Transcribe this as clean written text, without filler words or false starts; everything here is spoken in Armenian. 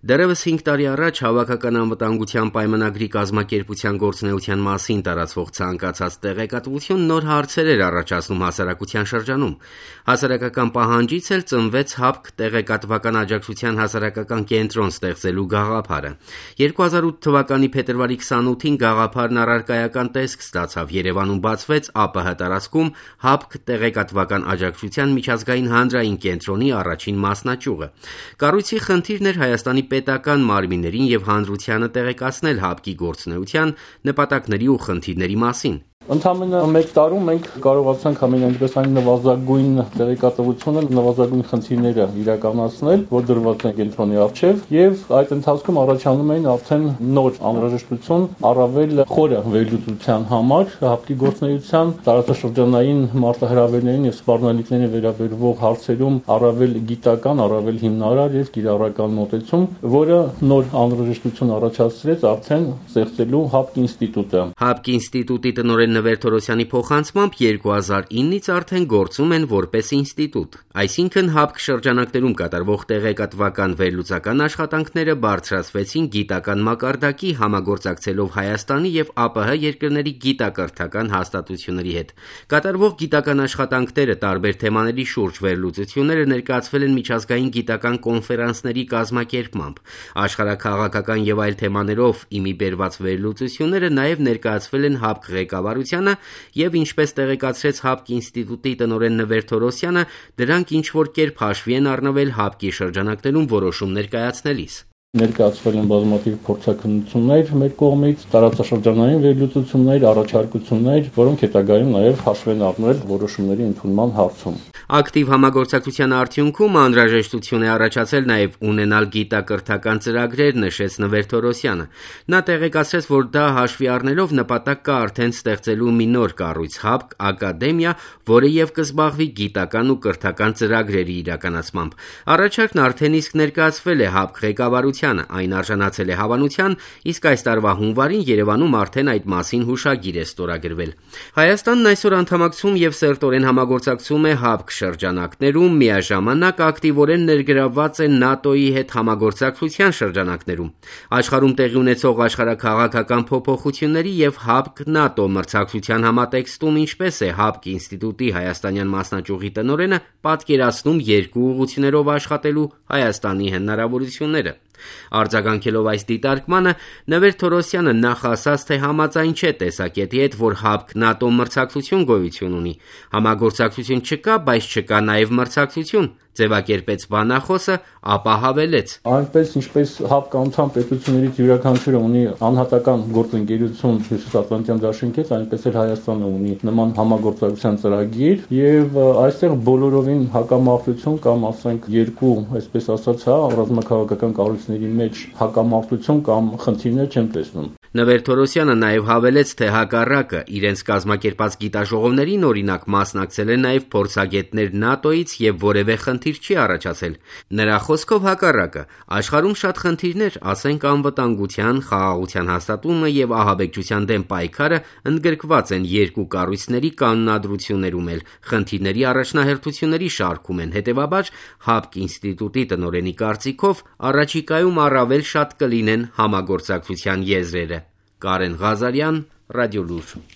Դեռևս 5 տարի առաջ Հավաքական անվտանգության պայմանագրի կազմակերպության գործունեության մասին տարածվող ցանկացած տեղեկատվություն նոր հարցեր էր առաջացնում հասարակության շրջանում։ Հասարակական պահանջից էլ ծնվեց ՀԱՊԿ տեղեկատվական աջակցության հասարակական կենտրոն ստեղծելու գաղափարը։ 2008 թվականի փետրվարի 28-ին գաղափարն առարկայական տեսք ստացավ։ Երևանում բացվեց ԱՊՀ տարածքում ՀԱՊԿ տեղեկատվական աջակցության միջազգային հանրային կենտրոնի առաջին մասնաճյուղը։ Կառույցի խնդիրն էր Հայաստանի պետական մարմիններին եւ հանրությանը տեղեկացնել ՀԱՊԿ-ի գործունեության, նպատակների ու խնդիրների մասին։ Ընդամենը 1 տարում մենք կարողացանք այնպես այն նվազագույն տեղեկատվությունը, նվազագույն խնդիրները իրականացնել, որ դրված են կենտրոնի առջև, եւ այդ ընթացքում առաջանում էին արդեն նոր անհրաժեշտություն առավել խորը վերլուծության համար ՀԱՊԿ-ի գործունեության տարածաշրջանային մարտահրավերներին եւ սպառնալիքներին վերաբերող հարցերում առավել գիտական, առավել հիմնարար եւ կիրառական մոտեցում, որը նոր անհրաժեշտություն առաջացրեց արդեն ստեղծելու ՀԱՊԿ ինստիտուտը։ ՀԱՊԿ ինստիտուտի տնօրեն Նվեր Թորոսյանի փոխանցմամբ 2009-ից արդեն գործում են որպես ինստիտուտ, այսինքն ՀԱՊԿ շրջանակներում կատարվող տեղեկատվական վերլուծական աշխատանքները բարձրացվեցին գիտական մակարդակի համագործակցելով Հայաստանի եւ ԱՊՀ երկրների գիտակրթական հաստատությունների հետ։ Կատարվող գիտական աշխատանքները տարբեր թեմաների շուրջ վերլուծությունները ներկայացվել են միջազգային գիտական կոնֆերանսների կազմակերպմամբ։ Աշխարհաքաղաքական եւ այլ թեմաներով իմի բերված վերլուծությունները նաեւ ներկայացվել են ՀԱՊԿ ղեկավարությանը եւ ինչպես տեղեկացրեց ՀԱՊԿ ինստիտուտի տնօրեն Նվեր Թորոսյանը, դրանք ինչ-որ կերպ հաշվի են առնվել ՀԱՊԿ-ի շրջանակներում որոշում ներկայացնելիս։ Ներկայացվել են բազմաթիվ փորձաքննություններ մեր կողմից, տարածաշրջանային վերլուծություններ, առաջարկություններ, որոնք հետագայում նաև հաշվ են առնել որոշումների ընդունման հարցում։ Ակտիվ համագործակցության արդյունքում անհրաժեշտություն է առաջացել նաև ունենալ գիտակրթական ծրագրեր, նշեց Նվեր Թորոսյանը։ Նա տեղեկացրեց, որ դա հաշվի առնելով նպատակ կա արդեն ստեղծելու մի նոր կառույց ՀԱՊԿ ակադեմիա, որը եւ կզբաղվի գիտական ու կրթական ծրագրերի իրականացմամբ։ Առաջարկն արդեն իսկ ներկայացվել է ՀԱՊԿ ղեկավարությանը, այն արժանացել է հավանության, իսկ այս տարվա հունվարին Երևանում արդեն այդ մասին հուշագիր է ստորագրվել։ Հայաստանն այսօր անդամակցում եւ սերտորեն համագործակցում է ՀԱՊԿ շրջանակներում, միաժամանակ ակտիվորեն ներգրավված է ՆԱՏՕ-ի հետ համագործակցության շրջանակներում։ Աշխարհում տեղի ունեցող աշխարհաքաղաքական փոփոխությունների եւ ՀԱՊԿ-ՆԱՏՕ մրցակցության համատեքստում ինչպես է ՀԱՊԿ ինստիտուտի հայաստանյան մասնաճյուղի տնօրենը պատկերացնում երկու ուղղություններով աշխատելու Հայաստանի հնարավորությունները։ Արձագանքելով այս դիտարկմանը, Նվեր Թորոսյանը նախ ասաց, թե համաձայն չէ տեսակետի հետ, որ ՀԱՊԿ-ՆԱՏՕ մրցակցություն գոյություն ունի։ Համագործակցություն չկա, բայց չկա նաև մրցակցություն, ձևակերպեց բանախոսը, ապա հավելեց. Այնպես ինչպես ՀԱՊԿ անդամ պետություններից յուրաքանչյուրը ունի անհատական գործընկերություն Հյուսիսատլանտյան դաշինքի հետ, այնպես էլ Հայաստանը ունի նման համագործակցության ծրագիր եւ այստեղ բոլորովին հակամարտություն կամ ասենք երկու, այսպես ասած, ռազմաքաղաքական կառույցների մեջ հակամարտություն կամ խնդիրներ չեմ տեսնում։ Նվեր Թորոսյանը նաև հավելեց, թե հակառակը իրենց կազմակերպած գիտաժողովներին օրինակ մասնակցել են նաև փորձագետներ ՆԱՏՕ-ից եւ որևէ խնդիր չի առաջացել։ Նրա խոսքով հակառակը աշխարհում շատ խնդիրներ, ասենք անվտանգության, խաղաղության հաստատումը եւ ահաբեկչության դեմ պայքարը ընդգրկված են երկու կառույցների կանոնադրություններում էլ, խնդիրների առաջնահերթությունների շարքում են, հետեւաբար ՀԱՊԿ ինստիտուտի տնօրենի կարծիքով առաջիկայում առավել շատ կլինեն համագործակցության եզրերը։ Կարեն Ղազարյան, Ռադիոլուր։